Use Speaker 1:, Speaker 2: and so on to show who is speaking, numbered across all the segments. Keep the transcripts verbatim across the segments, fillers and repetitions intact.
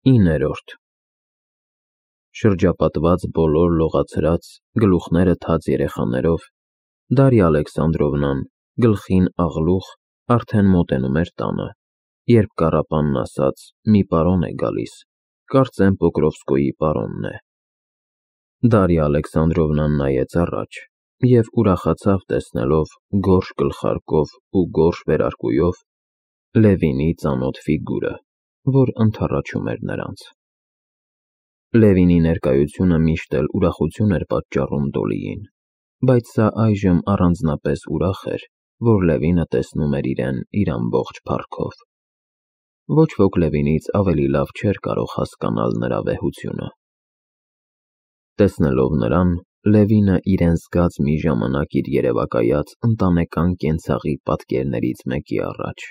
Speaker 1: իններորդ Շրջապատված բոլոր լողացրած, գլուխները թաց երեխաներով, Դարիա Ալեքսանդրովնան, գլխին աղլուխ, արդեն մոտենում էր տանը, երբ կառապանն ասաց. «Մի պարոն է գալիս, կարծեմ Պոկրովսկոյի պարոնն է»։ Դարիա Ալեքսանդրովնան նայեց առաջ և ուրախացավ տեսնելով գորշ գլխարկով ու գորշ վերարկուով Լևինի ծանոթ ֆիգուրը, որ ընդառաջում էր նրանց։ Լևինի ներկայությունը միշտ էլ ուրախություն էր պատճառում Դոլիին, բայց սա այժմ առանձնապես ուրախ էր, որ Լևինը տեսնում էր իրեն իր ամբողջ փառքով։ Ոչ ոք Լևինից ավելի լավ չէր կարող հասկանալ նրա վեհությունը։ Տեսնելով նրան, Լևինը իրեն զգաց մի ժամանակ իր երևակայած ընտանեկան կենցաղի պատկերներից մեկի առաջ։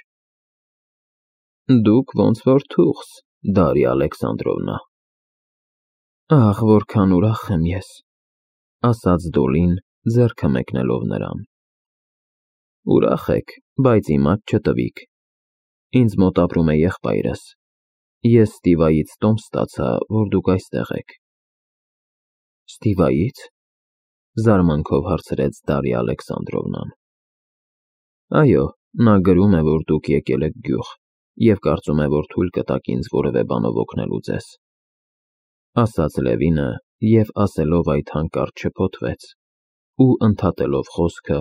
Speaker 1: Դուք ոնց որ թուղս, Դարիա Ալեքսանդրովնա։ Ահ, որքան ուրախ եմ ես, ասաց Դոլին, ձեռքը մեկնելով նրան։ Ուրախ եք, բայց իմաց չտվիք։ Ինձ մոտ ապրում է եղբայրս։ Ես Ստիվայից տոմս ստացա, որ դուք այստեղ եք։ Ստիվայից, զարմանքով հարցրեց Դարիա Ալեքսանդրովնան։ Այո, նա գրում է, որ դուք եկել եք գյուղ և կարծում է, որ թույլ կտաք ինձ որևէ բանով օգնելու ձեզ, ասաց Լևինը և ասելով այդ հանկարծ շփոթվեց ու ընդհատելով խոսքը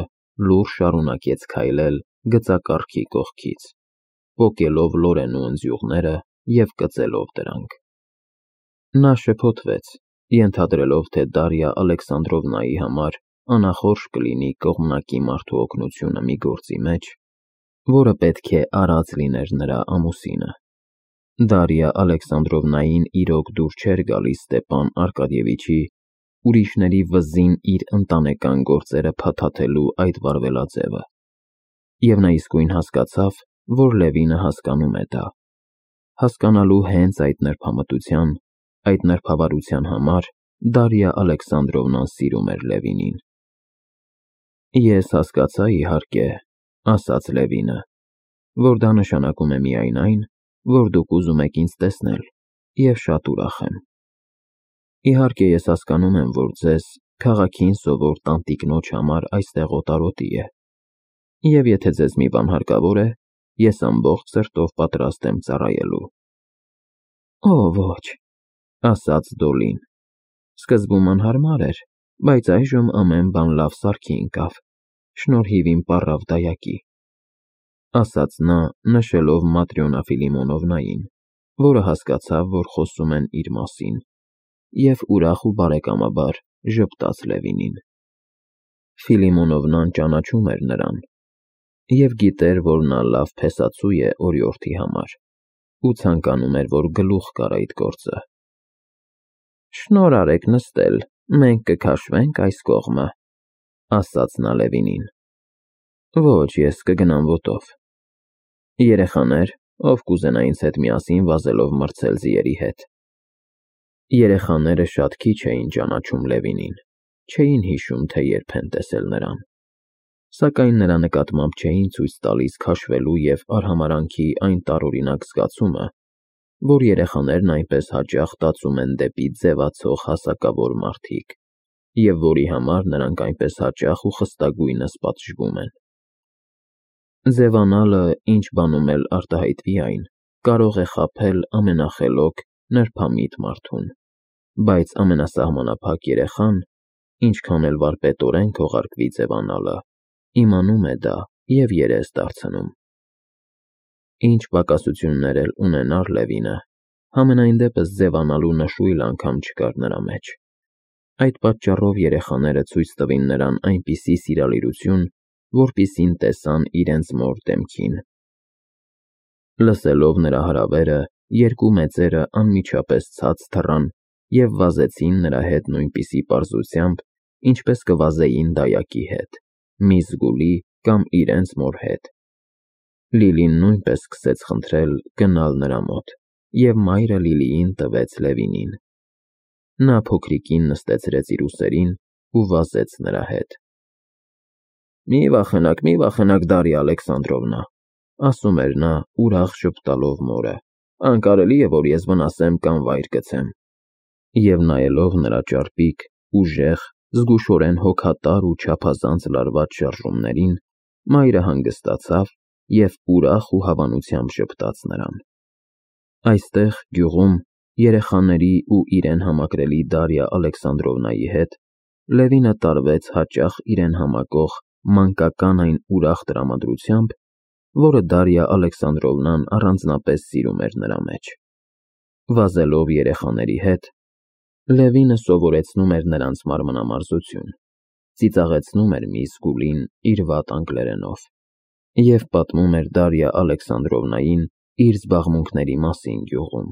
Speaker 1: լուրջ շարունակեց քայլել գծակառքի կողքից, պոկելով լորեն ու ընձյուղները և կծելով դրանք։ Նա շփոթվեց, ենթադրելով, թե Դարիա Ալեքսանդրովնայի համար անախորժ կլինի կողմնակի մարդու օգնությունը մի գործի մեջ, որը պետք է արած լիներ նրա ամուսինը։ Դարիա Ալեքսանդրովնային իրոք դուր չէր գալիս Ստեպան Արկադիևիչի ուրիշների վզին իր ընտանեկան գործերը փաթաթելու այդ վարվելաձևը, և նա իսկույն հասկացավ, որ Լևինը հասկանում է դա։ Հասկանալու հենց այդ նրբամտության, այդ նրբավարության համար Դարիա Ալեքսանդրովնան սիրում էր Լևինին։ Ես հասկացա, իհարկե, ասաց Լևինը, որ դա նշանակում է միայն այն, որ դուք ուզում եք ինձ տեսնել, և շատ ուրախ եմ։ Իհարկե, ես հասկանում եմ, որ ձեզ քաղաքին սովոր տանտիկնոջ համար այստեղ օտարոտի է, և եթե ձեզ մի բան հարկավոր է, ես ամբողջ սրտով պատրաստ եմ ծառայելու։ Օ, ոչ, ասաց Դոլին, սկզբում անհարմար էր, բայց այժմ ամեն բան լավ սարքի ընկավ, շնորհիվ իմ պառավ դայակի, ասաց նա, նշելով Մատրյոնա Ֆիլիմոնովնային, որը հասկացավ, որ խոսում են իր մասին, և ուրախ ու բարեկամաբար ժպտաց Լևինին։ Ֆիլիմոնովնան ճանաչում էր նրան և գիտեր, որ նա լավ փեսացու է օրիորդի համար ու ցանկանում էր, որ գլուխ կար այդ գործը։ Շնորհ արեք նստել, մենք կքաշվենք այս կողմը, ասաց նա Լևինին։ Ոչ, ես կգնամ ոտով։ Երեխաներ, ով կուզենա ինձ հետ միասին վազելով մրցել ձիերի հետ։ Երեխաները շատ քիչ էին ճանաչում Լևինին, չէին հիշում, թե երբ են տեսել նրան, սակայն նրա նկատմամբ չէին ցույց տալիս քաշվելու և արհամարհանքի այն տարօրինակ զգացումը, որ երեխաներն այնպես հաճախ տածում են դեպի ձևացող հասակավոր մարդիկ, և որի համար նրանք այնպես հաճախ ու խստագույնս պատժվում են։ Ձևանալը, ինչ բանում էլ արտահայտվի այն, կարող է խաբել ամենախելոք, նրբամիտ մարդուն, բայց ամենասահմանափակ երեխան, ինչքան էլ վարպետորեն քողարկվի ձևանալը, իմանում է դա և երես դարձնում։ Ինչ պակասություններ էլ ունենար Լևինը, համենայն դեպս ձևանալու նշույլ անգամ չկար նրա մեջ։ Այդ պատճառով երեխաները ցույց տվին նրան այնպիսի սիրալիրություն, որպիսին տեսան իրենց մոր դեմքին։ Լսելով նրա հրավերը, երկու մեծերը անմիջապես ցած թռան և վազեցին նրա հետ նույնպիսի պարզությամբ, ինչպես կվազեին դայակի հետ, մի զգուլի կամ իրենց մոր հետ։ Լիլին նույնպես սկսեց խնդրել գնալ նրա մոտ, և մայրը Լիլիին տվեց Լևինին։ Նա փոքրիկին նստեցրեց իր ուսերին ու վազեց նրա հետ։ Մի վախենաք, մի վախենաք, Դարիա Ալեքսանդրովնա, ասում էր նա, ուրախ ժպտալով մորը, անկարելի է, որ ես վնասեմ կամ վայր գցեմ։ Եվ նայելով նրա ճարպիկ, ուժեղ, զգուշորեն հոգատար ու չափազանց լարված շարժումներին, մայրը հանգստացավ և ուրախ ու հավանությամբ ժպտաց նրան։ Այստեղ, գյուղում, երեխաների ու իրեն համակրելի Դարիա Ալեքսանդրովնայի հետ Լևինը տարվեց հաճախ իրեն համակող մանկական այն ուրախ տրամադրությամբ, որը Դարիա Ալեքսանդրովնան առանձնապես սիրում էր նրա մեջ։ Վազելով երեխաների հետ, Լևինը սովորեցնում էր նրանց մանրամասնություն, ծիծաղեցնում էր միss Գուլին իր վատ անգլերենով և պատմում էր Դարիա Ալեքսանդրովնային իր զբաղմունքների մասին գյուղում։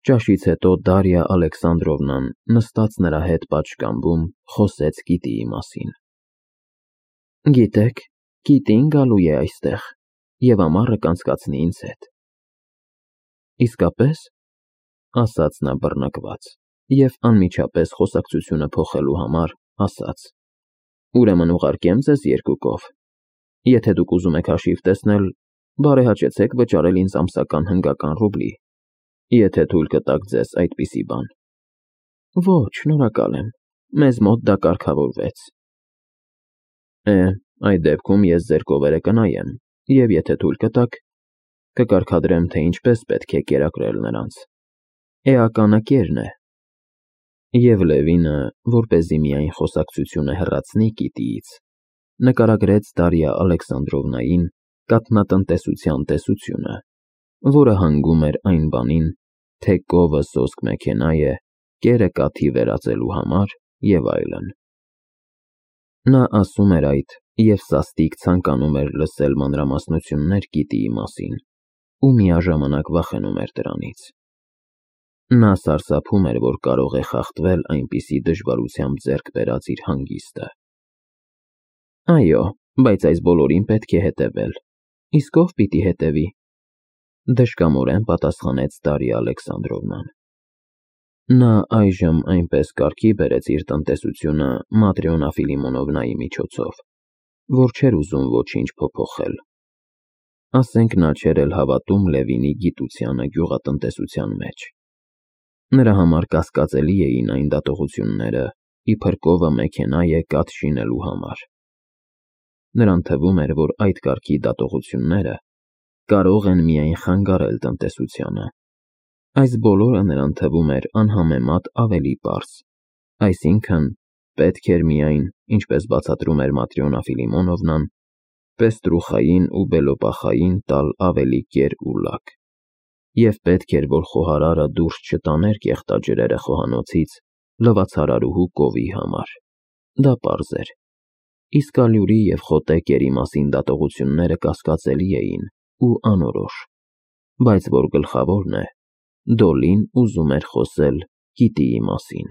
Speaker 1: Ճաշից հետո Դարիա Ալեքսանդրովնան, նստած նրա հետ պատշգամբում, խոսեց Կիտիի մասին։ Գիտեք, Կիտին գալու է այստեղ և ամառը կանցկացնի ինձ հետ։ Իսկապե՞ս, ասաց նա բռնկված և անմիջապես խոսակցությունը փոխելու համար ասաց. Ուրեմն ուղարկեմ ձեզ երկուքով։ Եթե դուք ուզում եք հաշիվ տեսնել, բարեհաճեցեք վճարել ինձ ամսական հնգական ռուբլի, եթե թույլ կտաք ձեզ այդպիսի բան։ Ոչ, շնորհակալ եմ, մեզ մոտ դա կարգավորվեց։ Է, այդ դեպքում ես ձեր կովերը կնայեմ և եթե թույլ կտաք, կկարգադրեմ, թե ինչպես պետք է կերակրել նրանց։ Էականը կերն է։ Եվ Լևինը, որպեսզի միայն խոսակցությունը հեռացնի Կիտիից, նկարագրեց Դարիա Ալեքսանդրովնային կաթնատնտեսության տեսությունը, որը հանգում էր այն բանին, թե կովը սոսկ մեքենա է, կերը կաթի վերածելու համար և այլն։ Նա ասում էր այդ և սաստիկ ցանկանում էր լսել մանրամասնություններ Կիտիի մասին ու միաժամանակ վախենում էր դրանից։ Նա սարսափում էր, որ կարող է խախտվել այնպիսի դժվարությամբ ձեռք բերած իր հանգիստը։ Այո, բայց այս բոլորին պետք է հետևել։ Իսկ ով պիտի հետևի, դժկամորեն պատասխանեց Դարիա Ալեքսանդրովնան։ Նա այժմ այնպես կարգի բերեց իր տնտեսությունը Մատրյոնա Ֆիլիմոնովնայի միջոցով, որ չէր ուզում ոչինչ փոփոխել։ Ասենք նա չէր էլ հավատում Լևինի գիտությանը գյուղատնտեսության մեջ։ Նրա համար կասկածելի էին այն դատողությունները, իբր կովը մեքենա է կաթ շինելու համար։ Նրան թվում էր, որ այդ կարգի դատողությունները կարող են միայն խանգարել տնտեսությանը։ Այս բոլորը նրան թվում էր անհամեմատ ավելի պարզ, այսինքն պետք էր միայն, ինչպես բացատրում էր Մատրյոնա Ֆիլիմոնովնան, պեստրուխային ու բելոպախային տալ ավելի կեր ու լաք, և պետք էր, որ խոհարարը դուրս չտաներ կեղտաջրերը խոհանոցից լվացարարուհու կովի համար։ Դա պարզ էր։ Իսկ ալյուրի և խոտե կերի մասին դատողությունները կասկածելի էին ու անորոշ, բայց որ գլխավորն է, Դոլին ուզում էր խոսել Կիտիի մասին։